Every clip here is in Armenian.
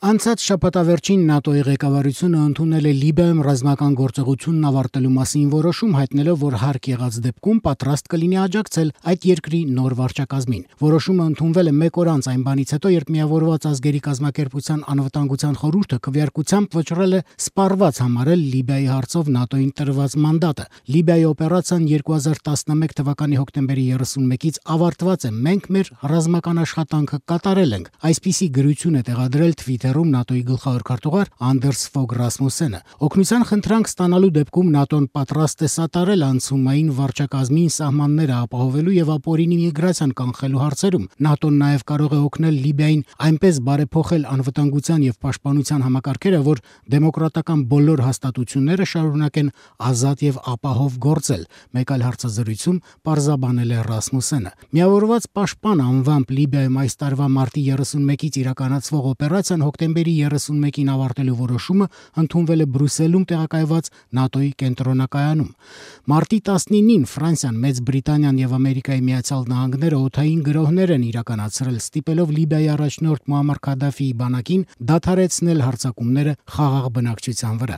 Անցած շաբաթավերջին ՆԱՏՕ-ի ղեկավարությունը ընդունել է Լիբիայում ռազմական գործողությունն ավարտելու մասին որոշում, հայտնելով, որ հարկ եղած դեպքում պատրաստ կլինի աջակցել այդ երկրի նոր վարչակազմին։ Որոշումը ընդունվել է մեկ օր անց այն բանից հետո, երբ Միավորված ազգերի կազմակերպության անվտանգության խորհուրդը քվեարկությամբ վճռել է սպառված համարել Լիբիայի հարցով ՆԱՏՕ-ին տրված մանդատը։ Լիբիայի օպերացիան 2011 թվականի հոկտեմբերի 31-ից ավարտված է։ Մենք մեր ռազմական աշխատանքը կատարել ենք։ Այսպիսի գրություն է տեղադրել Twitter-ում ՆԱՏՕ-ի գլխավոր քարտուղար Անդերս Ֆոգ Ռասմուսենը։ Օգնության խնդրանք ստանալու դեպքում ՆԱՏՕ-ն պատրաստ է սատարել անցումային վարչակազմին սահմանները ապահովելու եւ ապօրինի միգրացիան կանխելու հարցերում։ ՆԱՏՕ-ն նաեւ կարող է օգնել Լիբիային այնպես բարեփոխել անվտանգության եւ պաշտպանության համակարգերը, որ դեմոկրատական բոլոր հաստատությունները շարունակեն ազատ եւ ապահով գործել։ Մեկ այլ հարցազրույցում պարզաբանել է Ռասմուսենը։ Միավորված պաշտպան անվամբ Լիբիայում այս տարվա մարտի 31-ից իրականացվող օպերացիան հոկտեմբերի 31-ին ավարտելու որոշումը ընդունվել է Բրյուսելում տեղակայված ՆԱՏՕ-ի կենտրոնակայանում։ Մարտի 19-ին Ֆրանսիան, Մեծ Բրիտանիան եւ Ամերիկայի Միացյալ Նահանգները օդային գրոհներ են իրականացրել, ստիպելով Լիբիայի առաջնորդ Մուամմար Քադաֆիի բանակին դադարեցնել հարձակումները խաղաղ բնակչության վրա։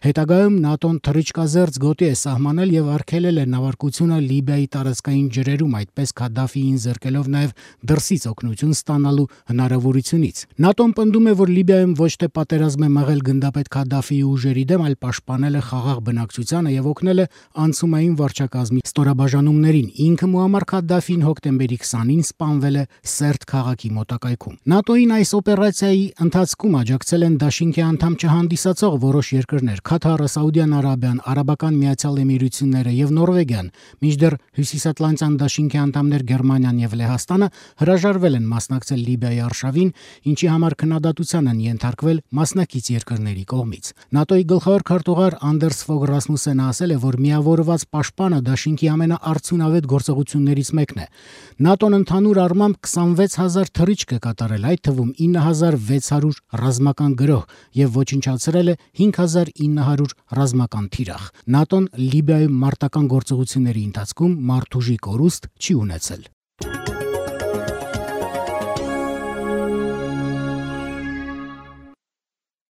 Հետագայում ՆԱՏՕ-ն թռիչքազերծ գոտի է սահմանել եւ արգելել է նավարկությունը Լիբիայի տարածքային ջրերում, այդպես Քադաֆիին զրկելով նաեւ դրսից օգնություն ստանալու հնարավորությունից։ ՆԱՏՕ-ն պնդում է, որ Լիբիայում ոչ թե պատերազմ է մղել գնդապետ Քադաֆիի ուժերի դեմ, այլ պաշտպանել է խաղաղ բնակչությանը եւ օգնել է անցումային վարչակազմի ստորաբաժանումներին։ Ինքը Մուամմար Քադաֆին հոկտեմբերի 20-ին սպանվել է Սերտ քաղաքի մոտակայքում։ ՆԱՏՕ-ին այս օպերացիայի ընթացքում աջակցել են դաշինքի անդամ չհանդիսացող որոշ երկրներ՝ Քաթարը, Սաուդյան Արաբիան, Արաբական Միացյալ Էմիրությունները եւ Նորվեգիան, մինչդեռ Հյուսիսատլանտյան դաշինքի անդամներ Գերմանիան եւ Լեհաստանը հրաժարվել են մասնակցել Լիբիայի արշավին, ինչի համար քննադատության են ենթարկվել մասնակից երկրների կողմից։ ՆԱՏՕ-ի գլխավոր քարտուղար Անդերս Ֆոգ Ռասմուսենը ասել է, որ միավորված պաշտպանը դաշինքի ամենաարդյունավետ գործողություններից մեկն է։ ՆԱՏՕ-ն ընդհանուր առմամբ 26000 թռիչք է կատարել, այդ թվում 9600 ռազմական գրոհ եւ ոչնչացրել է 5900 ռազմական թիրախ։ ՆԱՏՕ-ն Լիբիայում մարտական գործողությունների ընթացքում մարդուժի կորուստ չի ունեցել։